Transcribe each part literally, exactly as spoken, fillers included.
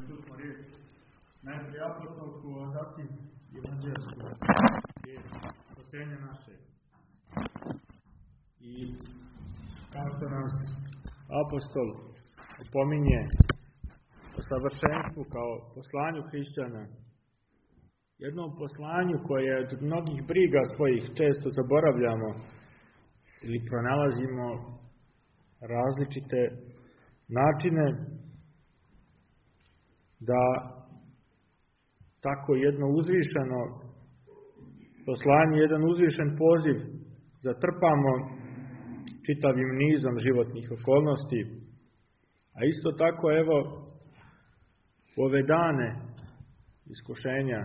čuli riječ najprije apostolsku, a zatim evanđelsku riječ spasenja naše. I kao što nas apostol opominje o savršenstvu kao poslanju hrišćana, jednom poslanju koje od mnogih briga svojih često zaboravljamo ili pronalazimo različite načine da tako jedno uzvišeno poslanje, jedan uzvišen poziv zatrpamo čitavim nizom životnih okolnosti. A isto tako, evo, u ove dane iskušenja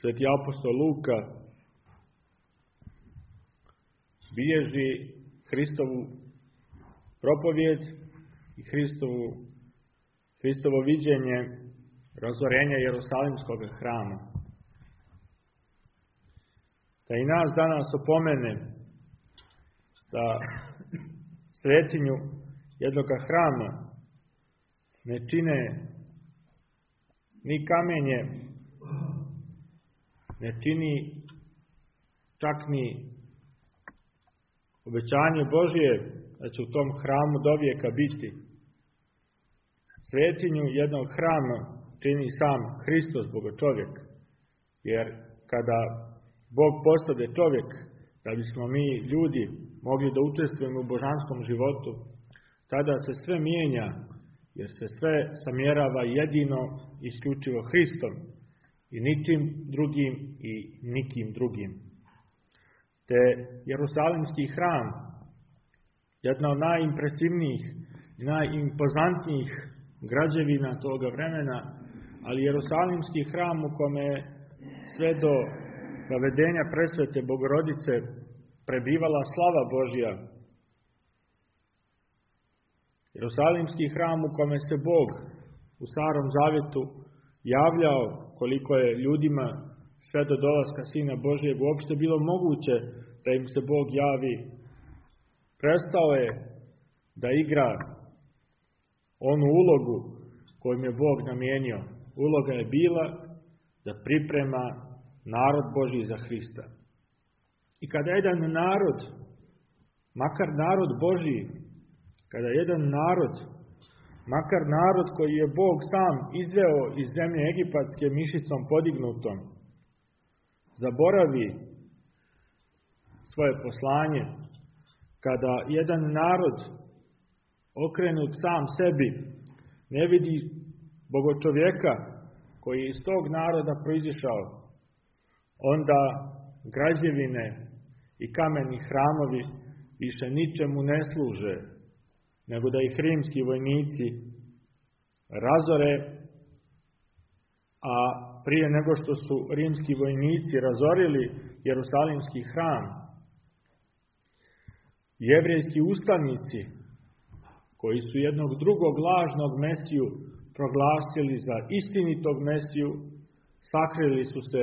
sveti apostol Luka bilježi Hristovu propovijed i Hristovu, Hristovo viđenje razorenja Jerusalimskog hrama. Da i nas danas opomene da svetinju jednog hrama ne čine ni kamenje, ne čini čak ni obećanje Božje da će u tom hramu dovijeka biti. Svetinju jednog hrama čini sam Hristos, Bogočovjek, jer kada Bog postade čovjek, da bismo mi ljudi mogli da učestvujemo u božanskom životu, tada se sve mijenja, jer se sve samjerava jedino isključivo Hristom i ničim drugim i nikim drugim. Te Jerusalimski hram, jedna od najimpresivnijih, najimpozantnijih građevina toga vremena, ali Jerusalimski hram u kome sve do navedenja presvete Bogorodice prebivala slava Božja. Jerusalimski hram u kome se Bog u Starom Zavjetu javljao koliko je ljudima sve do dolaska Sina Božjeg uopšte bilo moguće da im se Bog javi. Prestao je da igra onu ulogu kojom je Bog namijenio. Uloga je bila da priprema narod Božji za Hrista. I kada jedan narod, makar narod Božji, kada jedan narod, makar narod koji je Bog sam izveo iz zemlje egipatske mišicom podignutom, zaboravi svoje poslanje, kada jedan narod okrenut sam sebi ne vidi Bogočovjeka koji je iz tog naroda proizišao, onda građevine i kameni hramovi više ničemu ne služe, nego da ih rimski vojnici razore, a prije nego što su rimski vojnici razorili Jerusalimski hram, jevrejski ustanici, koji su jednog drugog lažnog Mesiju proglasili za istinitog Mesiju, sakrili su se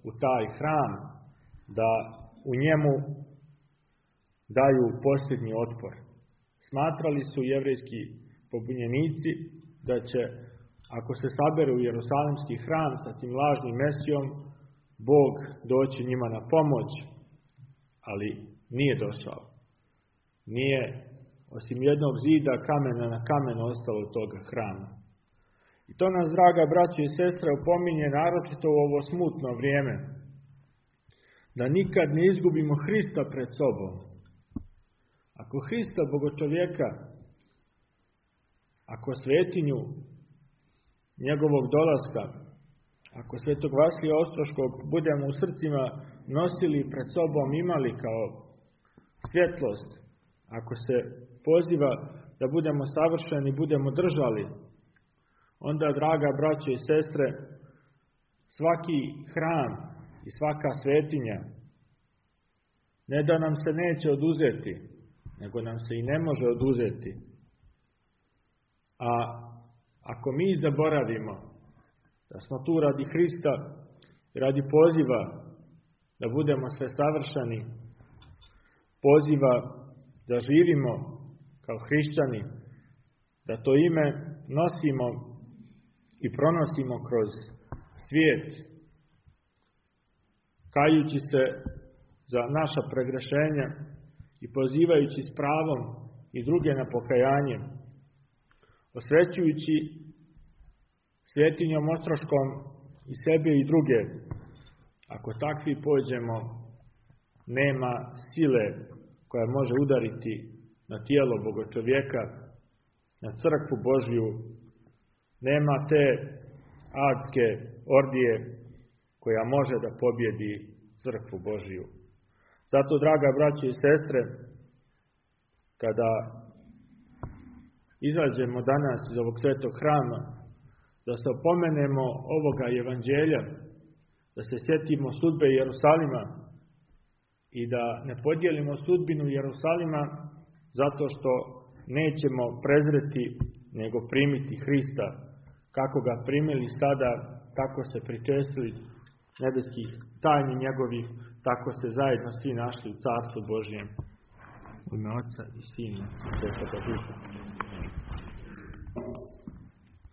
u taj hram da u njemu daju posljednji otpor. Smatrali su jevrejski pobunjenici da će, ako se saberu u Jerusalimski hram sa tim lažnim Mesijom, Bog doći njima na pomoć, ali nije došao. Nije osim jednog zida kamena na kamen ostalo od toga hrama. I to nas, draga braćo i sestre, opominje naročito u ovo smutno vrijeme, da nikad ne izgubimo Hrista pred sobom. Ako Hrista, Bogočovjeka, ako svetinju njegovog dolaska, ako svetog Vasilija Ostroškog budemo u srcima nosili pred sobom, imali kao svjetlost, ako se poziva da budemo savršeni, budemo držali, onda, draga braćo i sestre, svaki hram i svaka svetinja ne da nam se neće oduzeti, nego nam se i ne može oduzeti. A ako mi zaboravimo da smo tu radi Hrista, radi poziva da budemo sve savršeni, poziva da živimo kao hrišćani, da to ime nosimo i pronosimo kroz svijet, kajući se za naša pregrešenja i pozivajući s pravom i druge na pokajanje, osvećujući svetinjom Ostroškom i sebe i druge. Ako takvi pođemo, nema sile koja može udariti na tijelo Boga čovjeka, na crkvu Božju, nema te adske ordije koja može da pobjedi crkvu Božju. Zato, draga braćo i sestre, kada izađemo danas iz ovog svetog hrama, da se opomenemo ovoga evanđelja, da se sjetimo sudbe Jerusalima i da ne podijelimo sudbinu Jerusalima zato što nećemo prezreti, nego primiti Hrista. Kako ga primili sada, tako se pričestili nebeskih tajni njegovih, tako se zajedno svi našli u Carstvu Božjem. U ime Oca i Sina i Svetoga Duha.